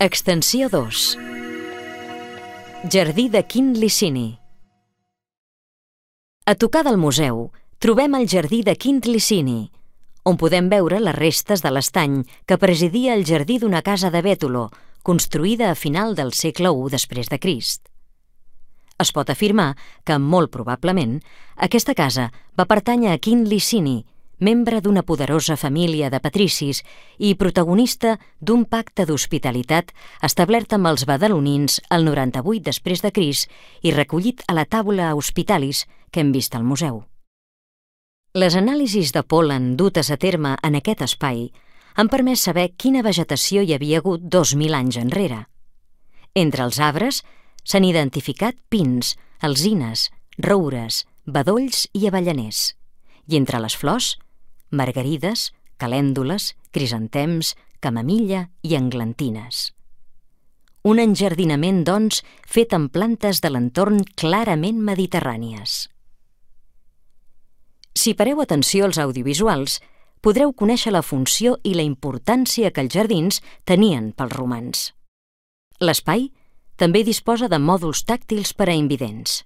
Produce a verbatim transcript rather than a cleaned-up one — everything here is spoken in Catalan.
Extensió dos. Jardí de Quint Licini. A tocar del museu trobem el Jardí de Quint Licini, on podem veure les restes de l'estany que presidia el jardí d'una casa de Bètolo, construïda a final del segle u després de Crist. Es pot afirmar que, molt probablement, aquesta casa va pertànyer a Quint Licini, membre d'una poderosa família de patricis i protagonista d'un pacte d'hospitalitat establert amb els badalonins el noranta-vuit després de Crist i recollit a la Tabula Hospitalis que hem vist al museu. Les anàlisis de pol·len dutes a terme en aquest espai han permès saber quina vegetació hi havia hagut dos mil anys enrere. Entre els arbres s'han identificat pins, alzines, roures, bedolls i avellaners, i entre les flors, margarides, calèndules, crisantems, camamilla i englantines. Un enjardinament, doncs, fet amb plantes de l'entorn clarament mediterrànies. Si pareu atenció als audiovisuals, podreu conèixer la funció i la importància que els jardins tenien pels romans. L'espai també disposa de mòduls tàctils per a invidents.